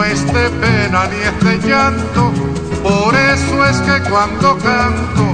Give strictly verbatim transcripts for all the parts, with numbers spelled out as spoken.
no es de pena ni es de llanto, por eso es que cuando canto,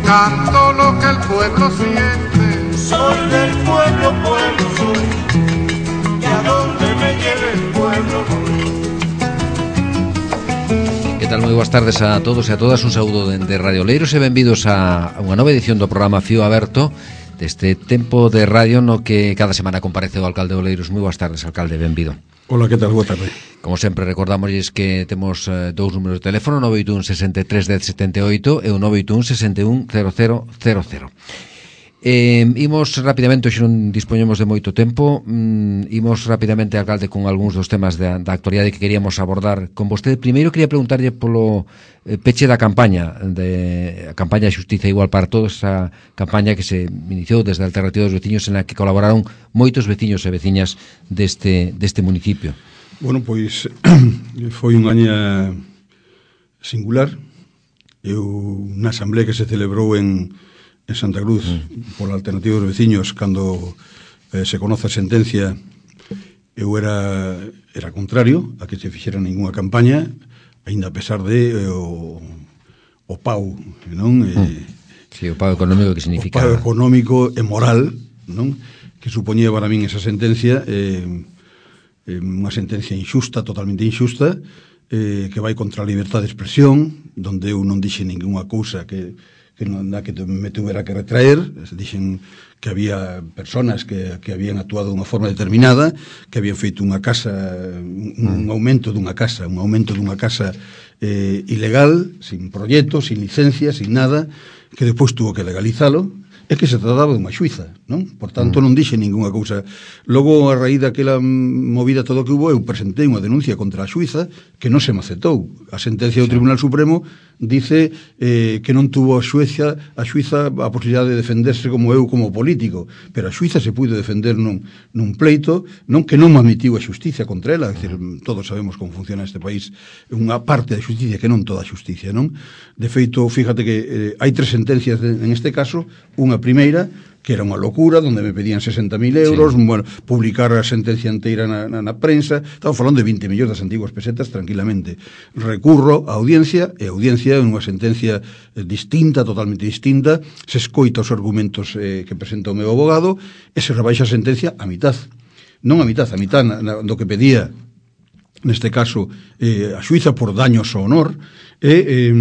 canto lo que el pueblo siente. Soy del pueblo, pueblo soy, y a donde me lleve el pueblo voy. Que tal? Moi boas tardes a todos e a todas. Un saúdo de Radio Oleiros e benvidos a unha nova edición do programa Fío Aberto, deste tempo de radio no que cada semana comparece o alcalde de Oleiros. Moi boas tardes, alcalde, benvido. Hola, que tal? Boa tarde. Como sempre, recordamosles que temos eh, dous números de teléfono, nove oito un, sesenta e tres, dez, setenta e oito e o nove oito un, sesenta e un, cero cero cero cero. Eh, imos rapidamente, hoxe non dispoñemos de moito tempo, mm, imos rapidamente, alcalde, con algúns dos temas da, da actualidade que queríamos abordar con vostede. Primeiro quería preguntarlle polo eh, peche da campaña de a campaña de Xustiza Igual para Todos, esa campaña que se iniciou desde a Alternativa dos Veciños, en la que colaboraron moitos veciños e veciñas deste, deste municipio. Bueno, pois foi unha aña singular. Eu na asamblea que se celebrou en en Santa Cruz, mm. por a Alternativa dos Veciños, cando eh, se conoce a sentencia, eu era era contrario a que se fixera ninguna campaña, aínda a pesar de eh, o, o pau, non? Mm. Eh, sí, o pau económico que significa... O pau económico e moral, non? Que supoñía para min esa sentencia, eh, eh, unha sentencia injusta, totalmente injusta, eh, que vai contra a libertad de expresión, donde eu non dixe ninguna cousa que... que non da que me tuvera que retraer. Dixen que había personas que, que habían actuado dunha forma determinada, que habían feito unha casa, un, un aumento dunha casa, un aumento dunha casa eh, ilegal, sin proxecto, sin licencia, sin nada, que depois tuvo que legalizalo, é que se trataba dunha xuiza, non? Por tanto, non dixe ninguna cousa. Logo, a raíz daquela movida todo que hubo, eu presentei unha denuncia contra a xuiza que non se me aceptou. A sentencia do Tribunal Supremo dice eh, que non tuvo a xuiza, a xuiza a posibilidade de defenderse como eu como político, pero a xuiza se puido defender nun, nun pleito, non que non me admitiu a xusticia contra ela. É dicir, todos sabemos como funciona este país, unha parte da xusticia que non toda a xusticia, non? De feito, fíjate que eh, hai tres sentencias de, en este caso. Unha primeira, que era unha locura, donde me pedían sesenta mil euros, sí. Bueno, publicar a sentencia inteira na, na, na prensa. Estamos falando de vinte millóns das antiguas pesetas tranquilamente. Recurro a audiencia, e a audiencia é unha sentencia eh, distinta, totalmente distinta. Se escoita os argumentos eh, que presenta o meu abogado e se rebaixa a sentencia a mitad. Non a mitad, a mitad na, na, do que pedía, neste caso, eh, a xuiza por daños ao honor, e eh,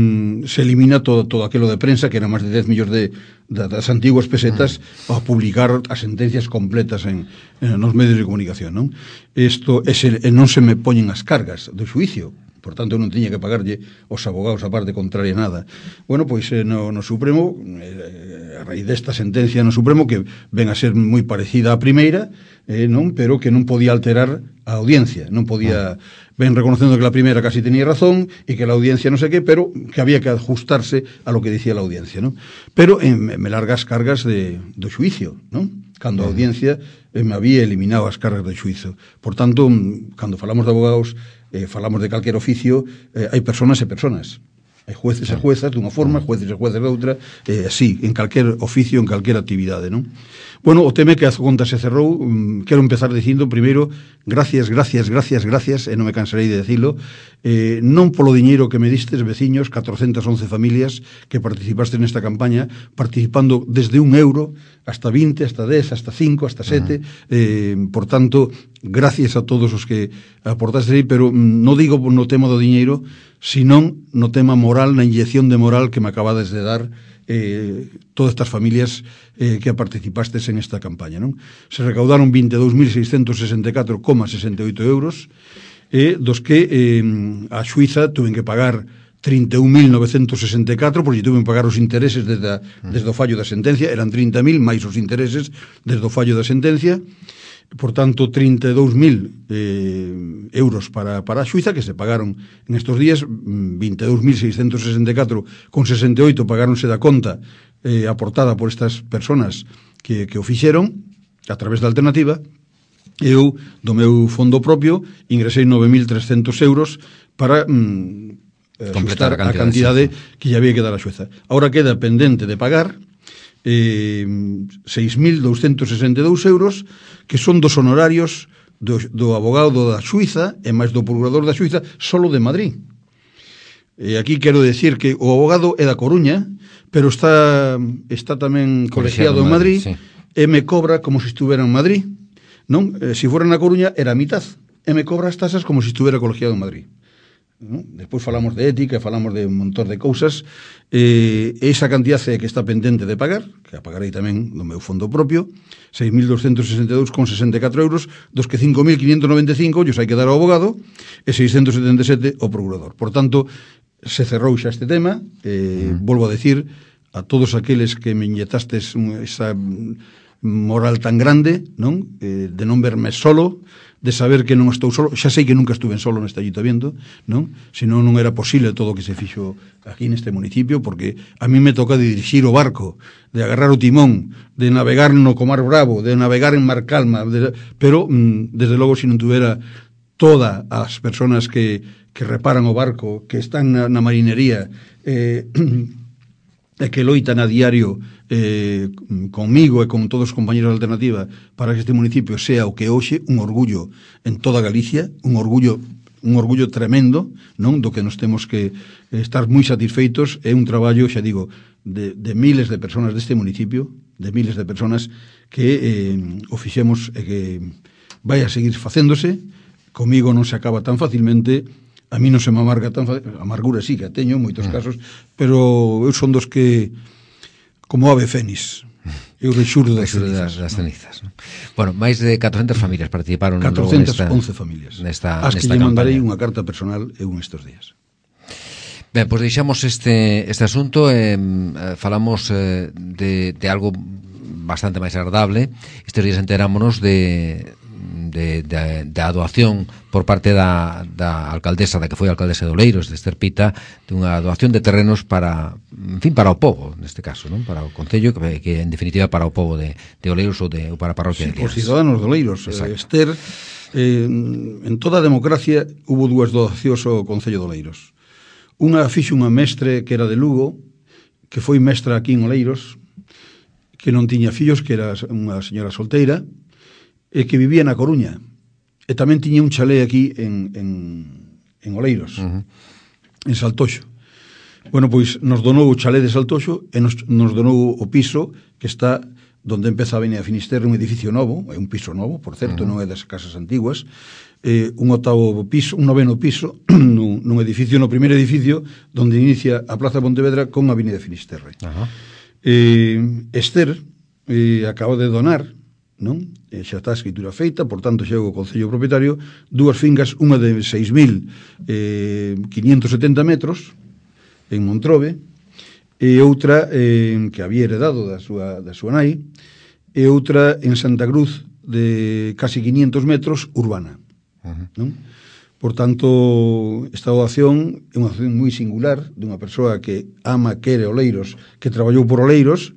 se elimina todo, todo aquilo de prensa, que era máis de dez millóns de, de, das antiguas pesetas, a publicar as sentencias completas en, en nos medios de comunicación, non? Isto, ese, non se me poñen as cargas do xuicio, por tanto non tiña que pagarlle os abogados a parte contraria nada. Bueno, pois eh, no, no Supremo, eh, a raíz desta sentencia no Supremo, que ven a ser moi parecida á primeira, eh, non, pero que non podía alterar a audiencia, non podía... Ven reconocendo que la primeira casi tenía razón e que la audiencia non sei que, pero que había que ajustarse a lo que decía la audiencia, ¿no? Pero eh, me largas cargas de, do xuicio, ¿no? Cando a audiencia eh, me había eliminado as cargas do xuizo. Por tanto, cando falamos de abogados, eh, falamos de calquer oficio, eh, hai personas e personas. Hai jueces e juezas dunha forma, jueces e jueces de outra, eh, así, en calquer oficio, en calquer actividade, non? Bueno, o tema é que a conta se cerrou. um, Quero empezar dicindo, primeiro, gracias, gracias, gracias, gracias, e non me cansarei de decirlo, eh, non polo diñeiro que me distes, veciños, catrocentas once familias que participaste nesta campaña, participando desde un euro hasta vinte, hasta dez, hasta cinco, hasta sete, uh-huh. eh, por tanto, gracias a todos os que aportaste aí, pero non digo no tema do diñeiro, senón no tema moral, na inyección de moral que me acabades de dar eh, todas estas familias eh, que participastes en esta campaña, non? Se recaudaron vinte e dous mil seiscentos sesenta e catro coma sesenta e oito euros, eh, dos que eh, a xuiza tuven que pagar trinta e un mil novecentos sesenta e catro, porque tuven que pagar os intereses desde, a, desde o fallo da sentencia, eran trinta mil máis os intereses desde o fallo da sentencia. Por tanto, trinta e dous mil eh, euros para, para a xuiza, que se pagaron en estos días. Vinte e dous mil seiscentos sesenta e catro con sesenta e oito pagáronse da conta eh, aportada por estas personas que, que o fixeron a través da alternativa. Eu, do meu fondo propio, ingresei nove mil trescentos euros para mm, completar a, a cantidade que lle había que dar a xuiza. Ahora queda pendente de pagar eh, seis mil douscentos sesenta e dous euros, que son dos honorarios do, do abogado da Suiza e máis do procurador da Suiza solo de Madrid. E aquí quero decir que o abogado é da Coruña, pero está está tamén colegiado en Madrid, sí. E me cobra como se estuvera en Madrid, non? Eh, se fora na Coruña era a mitad, e me cobra as tasas como se estuvera colegiado en Madrid. ¿No? Despois falamos de ética, falamos de un montón de cousas, eh, esa cantidad que está pendente de pagar, que a pagarei tamén no meu fondo propio, seis mil doscientos sesenta e dous con sesenta e catro euros, dos que cinco mil quinientos noventa e cinco os hai que dar ao abogado e seiscentos setenta e sete ao procurador. Por tanto, se cerrou xa este tema, eh, mm. volvo a decir a todos aqueles que me inyectastes esa moral tan grande, non? Eh, de non verme solo, de saber que non estou solo, xa sei que nunca estuve solo neste ayuntamiento, non? Senón non era posible todo o que se fixo aquí neste municipio, porque a mí me toca de dirixir o barco, de agarrar o timón, de navegar no Comar Bravo, de navegar en Mar Calma, de, pero, mm, desde logo, se non tuvera todas as persoas que, que reparan o barco, que están na, na marinería, eh, e que loitan a diario eh, conmigo e con todos os compañeros de Alternativa para que este municipio sea o que hoxe, un orgullo en toda Galicia, un orgullo un orgullo tremendo, non, do que nos temos que estar moi satisfeitos. É un traballo, xa digo, de, de miles de personas deste municipio, de miles de personas que eh, o fixemos e que vai a seguir facéndose. Comigo non se acaba tan facilmente. A mí non se me amarga tan fácil, amargura sí que a teño en moitos casos, pero eu son dos que, como ave fénix, eu rexurdo das cenizas. Das cenizas, ¿no? Bueno, máis de catrocentas familias participaron catrocentas once familias, nesta, as que nesta lle campaña. mandarei unha carta personal eu nestes días. Ben, pois deixamos este, este asunto e eh, falamos eh, de, de algo bastante máis agradable. Estes días enterámonos de De, de, de doación por parte da, da alcaldesa, da que foi alcaldesa de Oleiros, de Ester Pita, de unha doación de terrenos para, en fin, para o pobo, neste caso, non? Para o concello, que, que en definitiva para o pobo de, de Oleiros ou, de, ou para a parroquia sí, de Liares. Os ciudadanos de Oleiros. Exacto. Ester, eh, en toda a democracia hubo dúas doacións ao concello de Oleiros. Unha fixo unha mestre que era de Lugo, que foi mestra aquí en Oleiros, que non tiña fillos, que era unha señora solteira, e que vivía na Coruña, e tamén tiña un chalé aquí en, en, en Oleiros, uh-huh. en Saltoxo. Bueno, pois nos donou o chalé de Saltoxo e nos, nos donou o piso que está donde empeza a Avenida Finisterre, un edificio novo, é un piso novo, por certo, uh-huh. non é das casas antiguas, eh, un octavo piso, un noveno piso, nun, nun edificio, no primeiro edificio, donde inicia a Plaza Pontevedra con a Avenida Finisterre. Uh-huh. Eh, Ester eh, acaba de donar, non? E xa está a escritura feita, por tanto xa o concello propietario, dúas fincas, unha de seis mil quinientos setenta metros en Montrobe e outra eh, que había heredado da súa, da súa nai, e outra en Santa Cruz de casi quinientos metros urbana. Uh-huh. Non? Por tanto, esta doación é unha doación moi singular dunha persoa que ama, quere Oleiros, que traballou por Oleiros,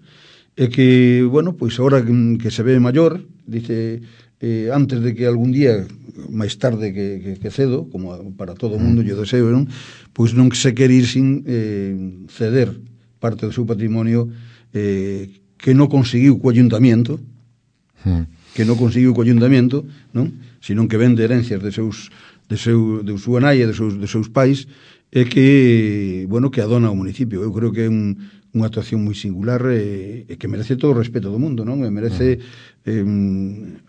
e que, bueno, pois agora que, que se ve maior, dice, eh, antes de que algún día, máis tarde que, que, que cedo, como para todo o mundo lle deseo, non? Pois non se quere ir sin eh, ceder parte do seu patrimonio eh, que non conseguiu co ayuntamiento, mm. que non conseguiu co ayuntamiento, non? Senón que vende herencias de seus de seu de súa nai e de seus de seus pais, e que, bueno, que adona ao municipio. Eu creo que é un unha actuación moi singular e, e que merece todo o respeto do mundo, non? E merece eh,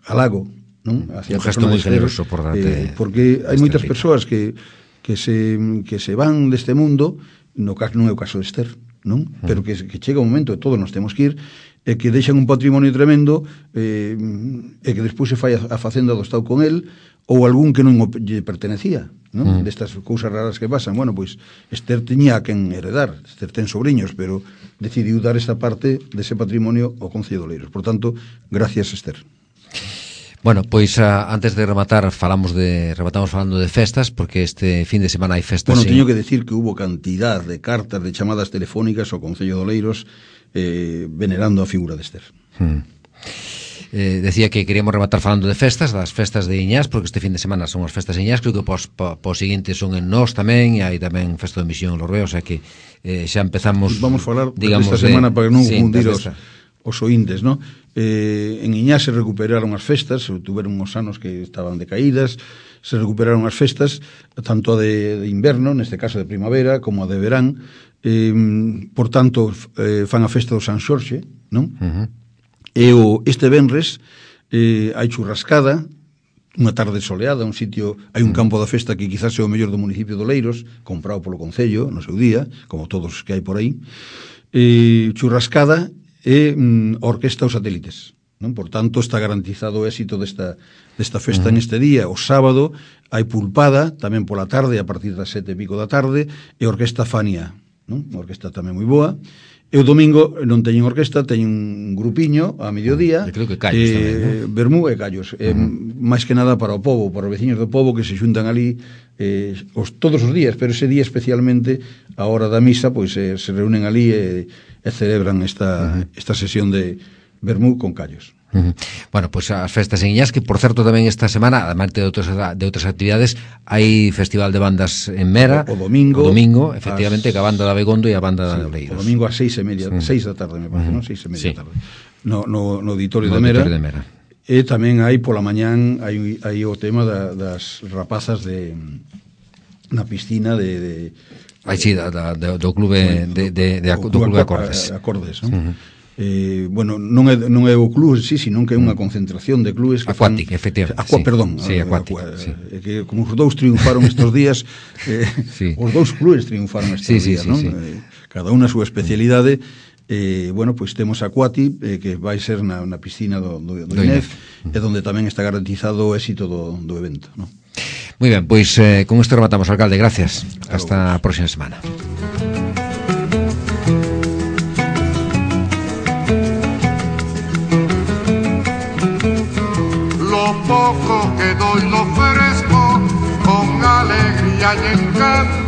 halago, non? Hacia un gesto moi generoso por darte, eh, porque hai moitas persoas que, que, se, que se van deste mundo, no caso non é o caso de Ester, non? Uh-huh. Pero que, que chega un momento e todos nos temos que ir, e que deixan un patrimonio tremendo eh, e que despois se fai a, a facenda do Estado con el, ou algún que non lle pertenecía, non? Mm. Destas cousas raras que pasan. Bueno, pois Ester tiña a quen heredar, Ester ten sobrinhos, pero decidiu dar esta parte dese patrimonio ao Concello de Oleiros. Por tanto, gracias, Ester. Bueno, pois a, antes de rematar falamos de rematamos falando de festas, porque este fin de semana hai festas. Bueno, teño que decir que hubo cantidad de cartas, de chamadas telefónicas ao Concello de Oleiros eh, venerando a figura de Ester. Mm. Eh, decía que queríamos rematar falando de festas, das festas de Iñás, porque este fin de semana son as festas de Iñás, creo que pos, po, po seguinte son en Nós tamén, e hai tamén festa de Misión en Lorrea, o sea que eh, xa empezamos, vamos falar digamos, esta semana de, para non sí, confundir os, os oíntes, no? Eh, en Iñá se recuperaron as festas, tuveron uns anos que estaban decaídas, se recuperaron as festas, tanto a de, de inverno, neste caso de primavera, como a de verán, eh, por tanto, eh, fan a festa do San Xorxe, non? Uh-huh. E o, este venres eh, hai churrascada, unha tarde soleada, un sitio, hai un campo da festa que quizás é o mellor do municipio de Oleiros, comprado polo Concello no seu día, como todos os que hai por aí, eh, churrascada e mm, orquesta os satélites, non? Por tanto, está garantizado o éxito desta, desta festa uh-huh. neste día. O sábado hai pulpada, tamén pola tarde, a partir das sete e pico da tarde, e orquesta Fania, non? Unha orquesta tamén moi boa. E o domingo non teñen orquesta, teñen un grupiño a mediodía. Eu creo que callos eh, tamén, non? Bermú e callos. Uh-huh. Eh, máis que nada para o povo, para os veciños do povo que se xuntan ali eh, os, todos os días, pero ese día especialmente a hora da misa, pois eh, se reúnen ali e, e celebran esta, uh-huh. esta sesión de Bermú con callos. Uh-huh. Bueno, pois pues as festas en Iñás, que por certo tamén esta semana, además de outras, de outras actividades, hai festival de bandas en Mera o, o domingo, o domingo efectivamente, as... que a banda da Begondo e a banda sí, da Oleiros. O domingo ás seis e media, sí. seis da tarde me parece, uh-huh. non? Seis e media sí. da tarde. No, no, no auditorio, no de, Mera, auditorio de Mera. E tamén hai pola mañán hai, hai o tema da, das rapazas de na piscina de, de Aí sí, da, da, do clube de, de, de, de, do clube de acordes. Acordes, non? Uh-huh. Eh, bueno, non é, non é o club, sí, sino que é unha concentración de clubes que Aquatic, fan... efectivamente. Aqua, sí. Perdón. Sí, Aquatic, aqua, sí. Eh, que como os dous triunfaron estes días, eh, sí. os dous clubes triunfaron estes sí, días, sí, non? Sí, sí. Eh, cada unha a súa especialidade. Eh, bueno, pois pues temos Aquatic, eh, que vai ser na, na piscina do, do, do, do I N E F, e donde tamén está garantizado o éxito do, do evento, non? Moi ben, pois eh, con isto rematamos, alcalde, gracias. Hasta a próxima semana. Poco que doy lo ofrezco con alegría y encanto.